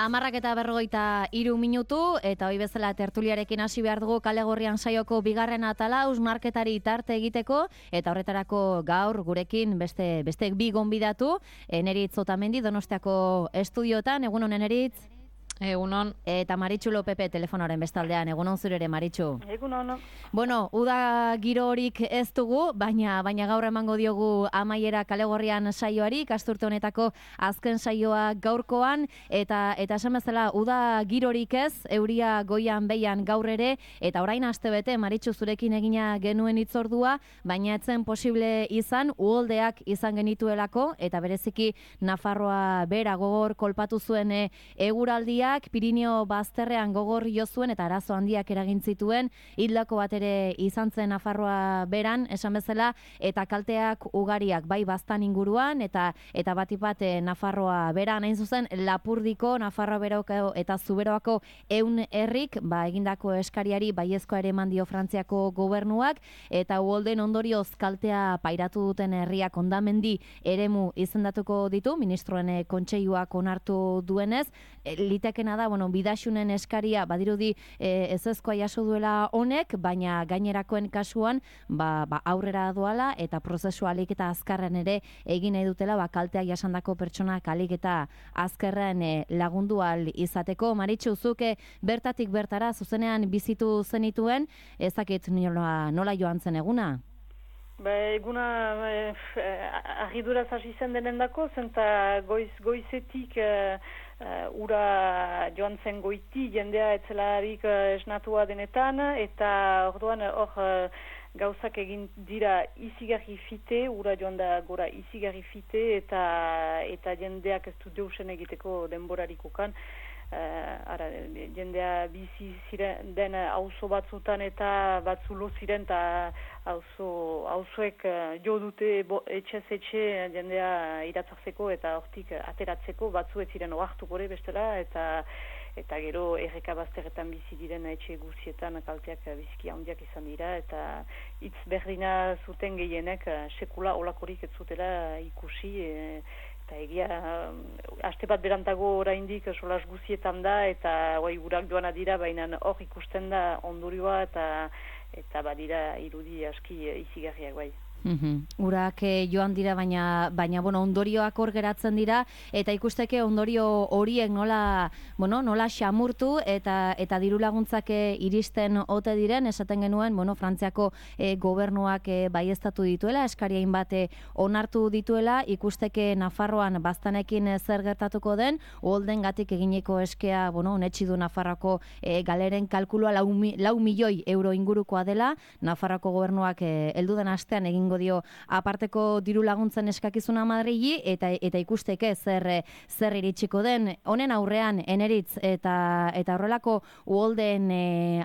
10:43 eta hoi bezala tertuliarekin hasi behar dugu Kale Gorrian saioko bigarren atala hausnarketari tarte egiteko eta horretarako gaur gurekin beste bi gonbidatu, Eneritz Otamendi Donostiako estudiotan. Egunon Eneritz. Egunon. Eta Maritxu Lopepe telefonoaren bestaldean. Egunon zure ere, Maritxu. Egunon. Bueno, uda giro horik ez dugu, baina gaur emango diogu amaiera Kale Gorrian saioari, ikasturte honetako azken saioa gaurkoan, eta esan bezala uda girorik ez, euria goian behian gaur ere, eta orain astebete Maritxu zurekin egina genuen hitzordua, baina etzen posible izan, uholdeak izan genituelako, eta bereziki Nafarroa bera gogor kolpatu zuen eguraldia, Pirineo bazterrean gogor jo zuen eta arazo handiak eragin zituen, hildako bat ere izan zen Nafarroa beran, esan bezala, eta kalteak ugariak bai baztan inguruan eta batipat Nafarroa beran, hain zuzen Lapurdiko, Nafarroa beroko eta Zuberoako 100 herrik egindako eskariari baiezkoa ere eman dio Frantziako gobernuak, eta uholden ondorioz kaltea pairatu duten herriak hondamendi eremu izendatuko ditu, ministroen kontseiluak onartu duenez, litekena da, bidaxunen eskaria badirudi ezezkoa jaso duela honek, baina gainerakoen kasuan aurrera doala eta prozesua alik eta azkarren ere egin nahi dutela kalteak jasandako pertsonak alik eta azkarren lagundu ahal izateko. Maritxu, zuke bertatik bertara zuzenean bizitu zenituen, ezakit nola joan zen eguna? Eguna argiduraz hasi zen denendako, zenta goizetik ura joan zen goiti, jendea etzelarik esnatua denetan, eta orduan gauzak egin dira izigarri fite, ura joan da gora izigarri fite, eta jendeak ez du deusen egiteko denborarikokan. Jendea bizi ziren den auzo batzutan eta batzu lo ziren eta auzoek jo dute etxez etxe jendea iratzartzeko eta hortik ateratzeko, batzu ez ziren oartuko ere bestela, eta gero erreka bazterretan bizi diren etxe guzietan kalteak biziki handiak izan dira, eta hitz berdina zuten gehienek sekula olakorik ez zutela ikusi, eta egia, aste bat berantago oraindik solas guzietan da, eta urak joana dira, baina hor ikusten da ondorioa, eta badira irudi aski izigarriak bai. Urak joan dira, baina ondorioak hor geratzen dira, eta ikusteke ondorio horiek nola xamurtu eta diru laguntzak iristen ote diren, esaten genuen, Frantziako gobernuak baieztatu dituela, eskariain bate onartu dituela, ikusteke Nafarroan baztanekin zer gertatuko den, uholden gatik egineko eskea, unetxi du Nafarroako galeren kalkulua 4 milioi euro ingurukoa dela, Nafarroako gobernuak helduden astean egin dio aparteko diru laguntzen eskakizuna Madrili, eta ikusteke zer iritsiko den. Honen aurrean, Eneritz, eta horrelako uholden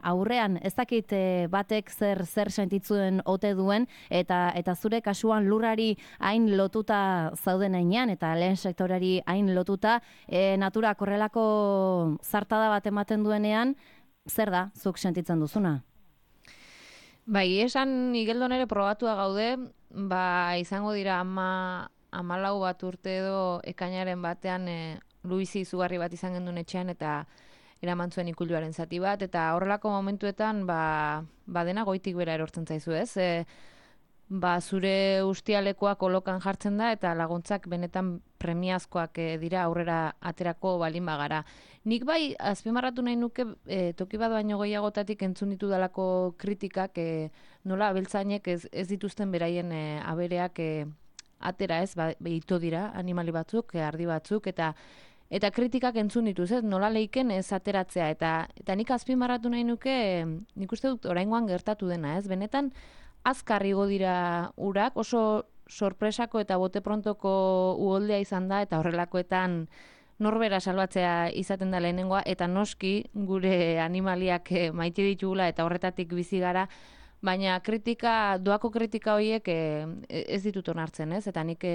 aurrean, ez dakit batek zer sentitzuen ote duen, eta zure kasuan lurrari hain lotuta zauden heinean, eta lehen sektorari hain lotuta, naturak horrelako zartada bat ematen duenean, zer da zuk sentitzen duzuna? Bai, esan Igeldon ere probatua gaude, izango dira 14 bat urte edo ekainaren batean luizi izugarri bat izan gendun etxean eta eraman zuen ikuluaren zati bat, eta horrelako momentuetan dena goitik bera erortzen zaizu, ez? Zure ustialekoak kolokan jartzen da eta laguntzak benetan premiazkoak dira aurrera aterako balin bagara. Nik azpimarratu nahi nuke toki bat baino gehiagotatik entzun ditu dalako kritikak nola abeltzainek ez dituzten beraien abereak atera, ez? Ito dira animali batzuk, ardi batzuk, eta kritikak entzun dituz, ez? Nola leiken ez ateratzea, eta nik azpimarratu nahi nuke, nik uste dut oraingoan gertatu dena, ez? Benetan azkar igo dira urak, oso sorpresako eta bote prontoko uholdea izan da, eta horrelakoetan norbera salbatzea izaten da lehenengoa, eta noski gure animaliak maite ditugula eta horretatik bizi gara, baina doako kritika horiek ez ditut onartzen, ez? Eta nik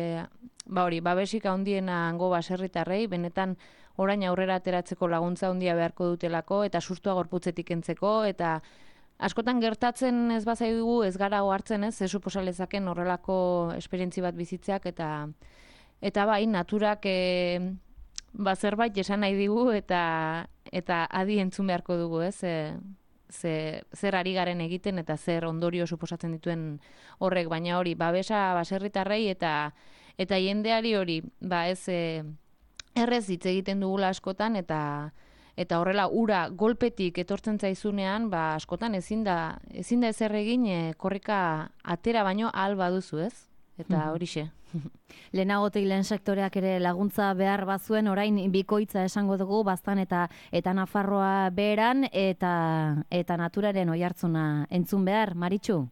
babesik handiena hango baserritarrei, benetan orain aurrera ateratzeko laguntza handia beharko dutelako, eta sustua gorputzetik entzeko, eta askotan gertatzen ez bazaigu ez gara ohartzen, ez? Ez suposalezaken horrelako esperientzi bat bizitzeak, eta bai, naturak zerbait esan nahi digu eta adi entzun beharko dugu, ez? Zer ari garen egiten eta zer ondorio suposatzen dituen horrek, baina hori, babesa baserritarrei eta jendeari hori, ez errez hitz egiten dugula askotan eta horrela ura golpetik etortzen zaizunean, askotan ezin da ezer egin korrika atera baino ahal baduzu, ez? Eta horixe. Lehenagotik lehen sektoreak ere laguntza behar bazuen, orain bikoitza esango dugu, Baztan eta Nafarroa beheran, eta naturaren oihartzuna entzun behar, Maritxu?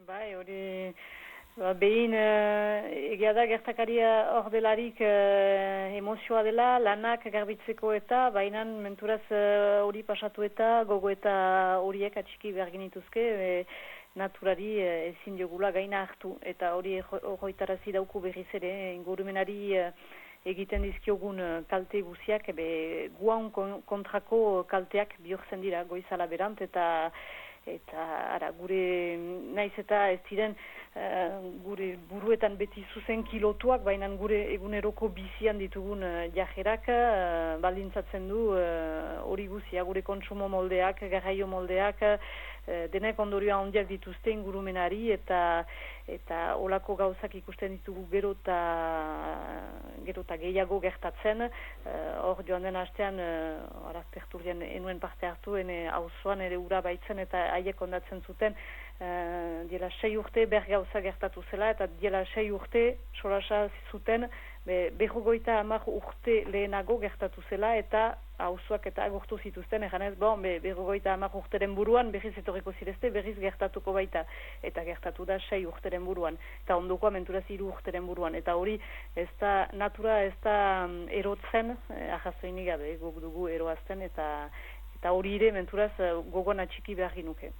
Bai, hori... Behin, egia da gertakaria hor delarik emozioa dela, lanak garbitzeko eta, bainan menturaz hori pasatu eta, gogo eta horiek atxiki behar genituzke, naturari ezin diogula gaina hartu. Eta hori hoitarazi dauku berriz ere, ingurumenari egiten dizkiogun kalte guziak, guan kontrako kalteak bihurtzen dira goizala berant, eta gure naiz eta ez ziren gure buruetan beti zuzen kilotuak, baina gure eguneroko bizian ditugun jajerak baldintzatzen du hori guzia, gure kontsumo moldeak, garraio moldeak, denek ondorioa handiak dituzte ingurumenari eta olako gauzak ikusten ditugu gero eta gehiago gertatzen. Hor joan den astean, tertulian enuen parte hartu, auzoan ere ura baitzen eta haiek ondatzen zuten, diela 6 urte gauza gertatu zela, eta diela 6 urte solasa zuten, 50 urte lehenago gertatu zela, eta auzoak eta agurtu zituzten, eganez, 50 urteren buruan, berriz etorriko zirezte, berriz gertatuko baita, eta gertatu da 6 urteren buruan, eta ondokoa menturaz 3 urteren buruan, eta hori natura ez da erotzen, ahazoinik gabe, guk dugu eroazten, eta hori ere menturaz gogoan atxiki behar ginuke.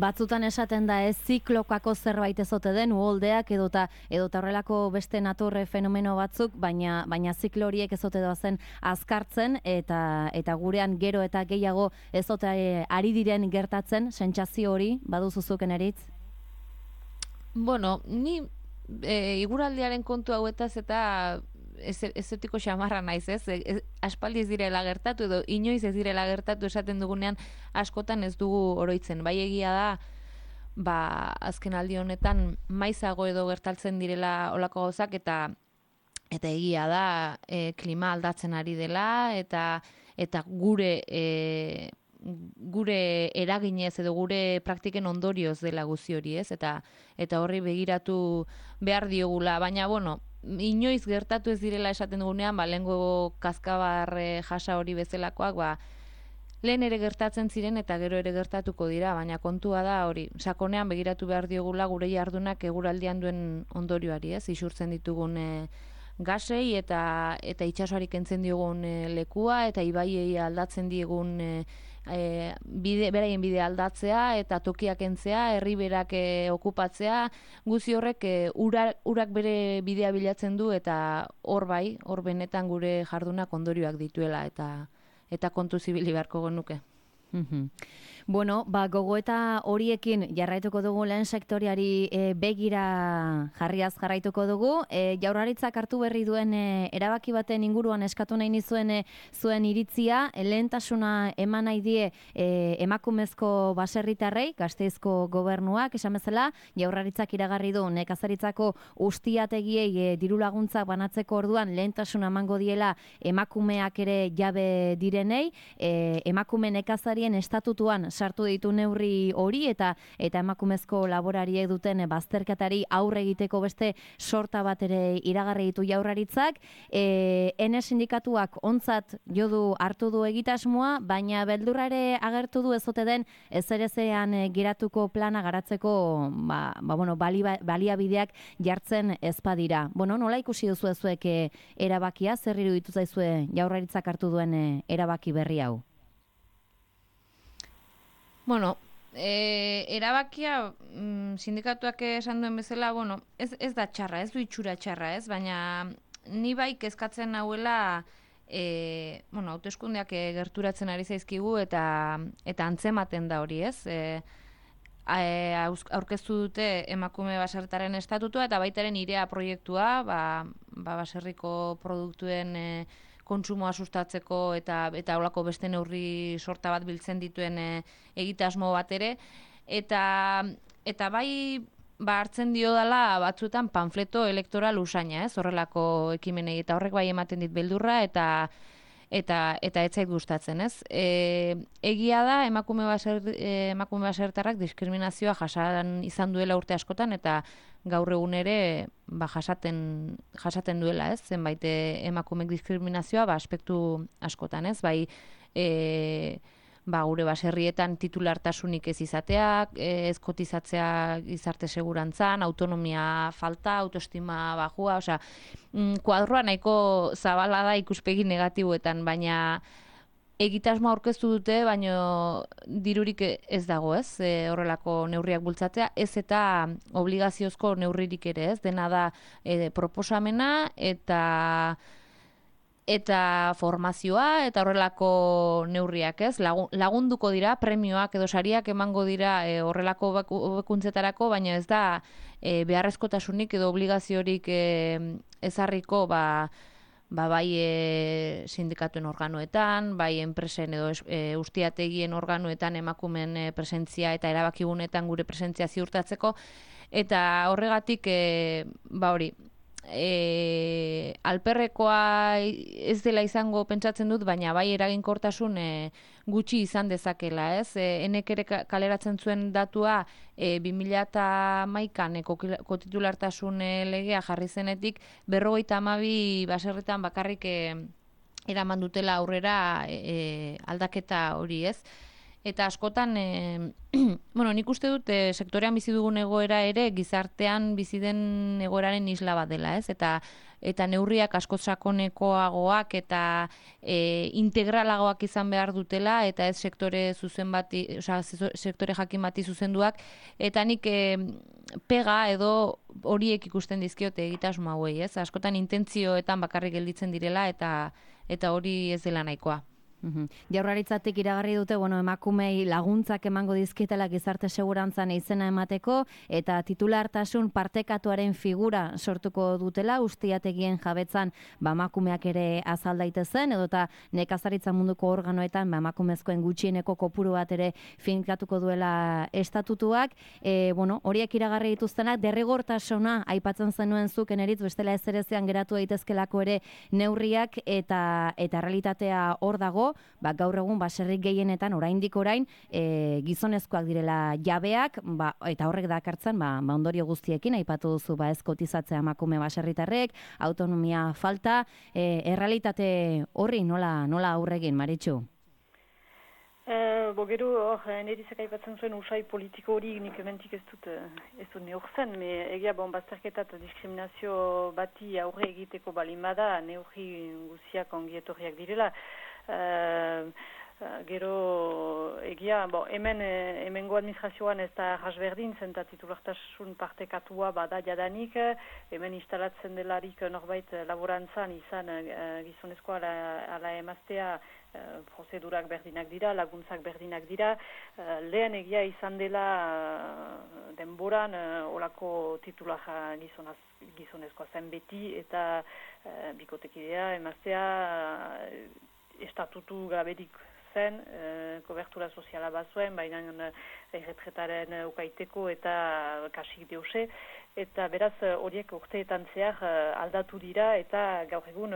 Batzutan esaten da ziklokako zerbait ezote den, uholdeak edota horrelako beste natur fenomeno batzuk, baina ziklo horiek ezote doazen azkartzen eta gurean gero eta gehiago ezote ari diren gertatzen, sentsazio hori, baduzuzuken eritz? Bueno, ni iguraldiaren kontu hauetaz eta ezetiko xamarra naiz, ez? Aspaldi ez direla gertatu edo inoiz ez direla gertatu esaten dugunean askotan ez dugu oroitzen. Bai egia da, azken aldi honetan maizago edo gertaltzen direla olako gauzak eta egia da klima aldatzen ari dela eta gure eraginez edo gure praktiken ondorioz dela guzi hori, ez? Eta horri begiratu behar diogula, baina bueno, inoiz gertatu ez direla esaten dugunean, lehengo kaskabar jasa hori bezalakoak, lehen ere gertatzen ziren eta gero ere gertatuko dira, baina kontua da hori, sakonean begiratu behar diogula gure jardunak eguraldian duen ondorioari, ez? Isurtzen ditugun gasei eta itsasoari kentzen diogun lekua eta ibaiei aldatzen diegun beraien bidea aldatzea eta tokiak kentzea, herriberak okupatzea, guzi horrek urak bere bidea bilatzen du eta hor benetan gure jardunak ondorioak dituela eta kontu zibili beharko genuke. Bueno, gogoeta horiekin jarraituko dugu lehen sektoriari begira jarraituko dugu. Jaurlaritzak hartu berri duen erabaki baten inguruan eskatu nahi nizuen zuen iritzia, lehentasuna eman nahi die emakumezko baserritarrei, Gasteizko gobernuak, esan bezala, Jaurlaritzak iragarri du nekazaritzako ustiategiei diru laguntzak banatzeko orduan lehentasuna emango diela emakumeak ere jabe direnei, emakume nekazarien estatutuan sartu ditu neurri hori eta emakumezko laborariek duten bazterketari aurre egiteko beste sorta bat ere iragarri ditu Jaurlaritzak. Ene sindikatuak ontzat jodu hartu du egitasmoa, baina beldurra ere agertu du ezote den ezerezean geratuko plana garatzeko baliabideak jartzen ez badira. Nola ikusi duzu zuek erabakia, zer iruditu zaizue Jaurlaritzak hartu duen erabaki berri hau? Bueno, erabakia sindikatuak esan duen bezala, ez da txarra, ez du itxura txarra, ez, baina ni bai kezkatzen nauela hauteskundeak gerturatzen ari zaizkigu eta antzematen da hori, ez? aurkeztu dute emakume baserritaren estatutua eta baitaren irea proiektua, baserriko produktuen kontsumoa sustatzeko eta holako beste neurri sorta bat biltzen dituen egitasmo bat ere. Eta bai hartzen dio dela batzuetan panfleto elektoral usaina, horrelako ekimenei, eta horrek bai ematen dit beldurra eta ez zait gustatzen, ez? Egia da emakume baserritarrak diskriminazioa jasan izan duela urte askotan eta gaur egun ere jasaten duela, ez? Zenbait emakumek diskriminazioa aspektu askotan, ez? Bai gure baserrietan titulartasunik ez izateak, ez kotizatzea gizarte segurantzan, autonomia falta, autoestima bajua, osea, kuadroa nahiko zabala da ikuspegi negatiboetan, baina egitasmo aurkeztu dute, baina dirurik ez dago, ez? Horrelako neurriak bultzatzea, ez eta obligaziozko neurririk ere, ez? Dena da proposamena eta formazioa eta horrelako neurriak, ez? Lagunduko dira, premioak edo sariak emango dira horrelako hobekuntzetarako, baina ez da beharrezkotasunik edo obligaziorik ezarriko bai sindikatuen organoetan, bai enpresen edo ustiategien organoetan emakumen presentzia eta erabakigunetan gure presentzia ziurtatzeko, eta horregatik hori, alperrekoa ez dela izango pentsatzen dut, baina bai eraginkortasun gutxi izan dezakela, ez? Enek ere kaleratzen zuen datua 2011an kotitulartasun legea jarri zenetik 52 baserritan bakarrik eraman dutela aurrera aldaketa hori, ez? Eta askotan, nik uste dut sektorean bizi dugun egoera ere gizartean bizi den egoeraren isla bat dela, ez? Eta neurriak askoz sakonekoagoak eta integralagoak izan behar dutela, eta ez sektore jakin bati zuzenduak, eta nik pega edo horiek ikusten dizkiote egitasmo hauei, ez? Askotan intentzioetan bakarrik gelditzen direla eta hori ez dela nahikoa. Jaurlaritzatik iragarri dute, emakumei laguntzak emango dizkietela gizarte segurantzan izena emateko eta titulartasun partekatuaren figura sortuko dutela, ustiategien jabetzan emakumeak ere azal daitezen, edota nekazaritza munduko organoetan emakumezkoen gutxieneko kopuru bat ere finkatuko duela estatutuak. Horiek iragarri dituztenak derrigortasuna aipatzen zenuen zuk eneritz, bestela ezerezean geratu daitezkelako ere neurriak eta realitatea hor dago. Gaur egun baserrik gehienetan oraindik orain gizonezkoak direla jabeak, eta horrek dakartzen ondorio guztiekin aipatu duzu ez kotizatzea emakume baserritarrek, autonomia falta, errealitate horri nola aurre egin, Maritxu? Gero, nerizak aipatzen zuen usai politiko hori nik ementik ez dut neurtzen, egia bazterketa eta diskriminazio bati aurre egiteko balin bada, neurri guziak ongietorriak direla. Gero egia, hemengo administrazioan ez da jasberdin zen eta titulartasun partekatua bada jadanik, hemen instalatzen delarik norbait laborantzan izan gizonezkoa ala emaztea prozedurak berdinak dira, laguntzak berdinak dira. Lehen egia izan dela denboran olako titular gizonezkoa zen beti eta bikotekidea emaztea estatutu gaberik zen, kobertura soziala bazuen, baina erretretaren ukaiteko eta kasik deuse, eta beraz horiek urteetan zehar aldatu dira eta gaur egun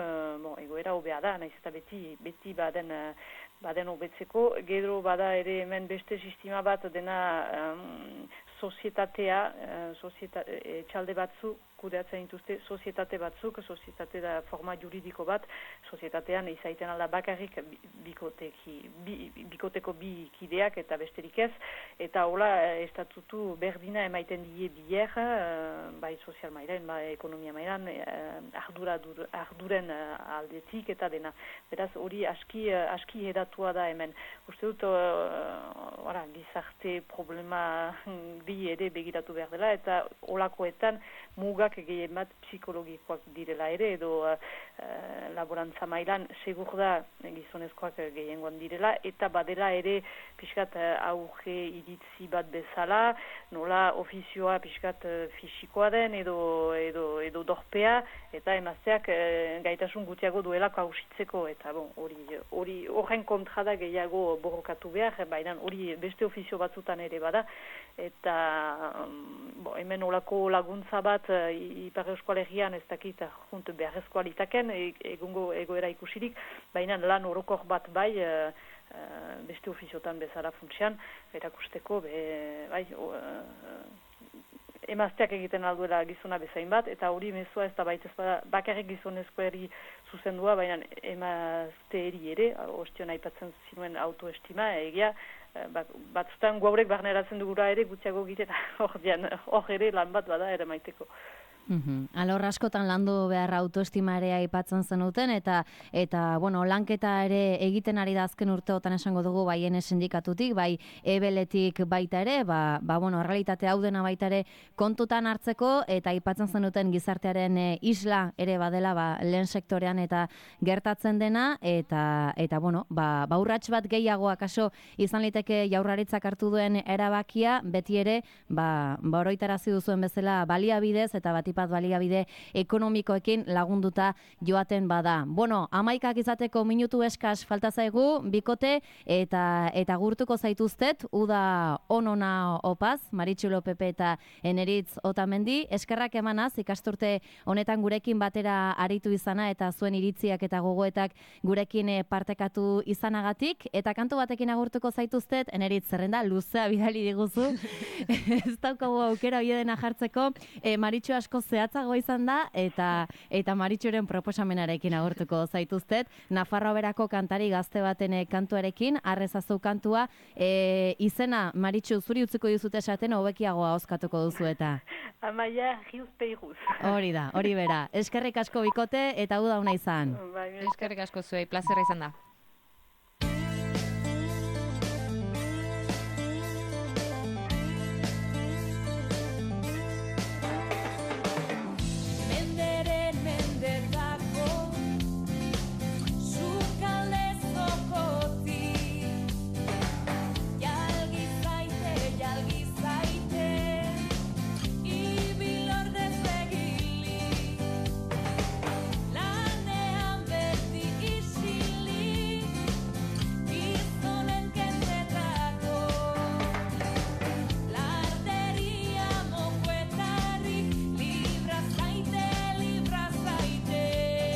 egoera hobea da, nahiz eta beti baden hobetzeko. Gero bada ere hemen beste sistema bat dena sozietatea, etxalde batzuk, kudeatzen dituzte sozietate batzuk, sozietate da forma juridiko bat, sozietatean izaiten alda bakarrik bikoteko bi kideak eta besterik ez, eta hola estatutu berdina emaiten die bier, bai sozial mailan, bai ekonomia mailan, arduren aldetik eta dena. Beraz hori aski edatua da hemen. Uste dut, gizarte problema bi ere begiratu behar dela, eta holakoetan mugak gehien bat psikologikoak direla ere, edo laborantza mailan segur da gizonezkoak gehiengoan direla, eta badela ere pixkat auge iritzi bat bezala, nola ofizioa pixkat fisikoa den edo dorpea, eta emazteak gaitasun gutiago duelako hausitzeko, eta hori horren kontra da gehiago borrokatu behar, baina hori beste ofizio batzutan ere bada, eta hemen olako laguntza bat Ipar Euskal Herrian ez dakit junt beharrezkoa litaken egungo egoera ikusirik, baina lan orokor bat bai beste ofiziotan bezala funtsian, erakusteko emazteak egiten alduela gizona bezain bat, eta hori mezua ez da baita bakarrik gizonezkoari zuzendua, baina emazteeri ere, ostion aipatzen zinuen autoestima, egia, batzutan guaurek barneratzen dugura ere gutxiago egitera hor ere lan bat bada ere maiteko. Alor askotan landu behar autoestima ere aipatzen zenuten eta lanketa ere egiten ari da azken urteotan esango dugu bai ene sindikatutik, bai ebeletik baita ere, errealitate hau dena baita ere kontutan hartzeko eta aipatzen zenuten gizartearen isla ere badela lehen sektorean eta gertatzen dena eta urrats bat gehiago akaso izan liteke Jaurlaritzak hartu duen erabakia beti ere oroitarazi duzuen bezala baliabidez eta batipat baliabide ekonomikoekin lagunduta joaten bada. 11 izateko minutu eskas falta zaigu, bikote eta gurtuko zaituztet, uda onona opaz, Maritxu Lopepe eta Eneritz Otamendi, eskerrak emanaz, ikasturte honetan gurekin batera aritu izana eta zuen iritziak eta gogoetak gurekin partekatu izanagatik, eta kantu batekin agurtuko zaituztet, Eneritz zerrenda luzea bidali diguzu, ez daukagu aukera hori dena jartzeko, Maritxu asko zehatzago izan da, eta Maritxuren proposamenarekin agurtuko zaituztet, Nafarroa berako kantari gazte baten kantuarekin, arrezazu kantua, izena Maritxu zuri utziko dizute esaten hobekiagoa oskatuko duzu eta. Amaia Riuz Peiruz. Hori da, hori bera. Eskerrik asko bikote eta uda una izan. Eskerrik asko zuei, plazerra izan da.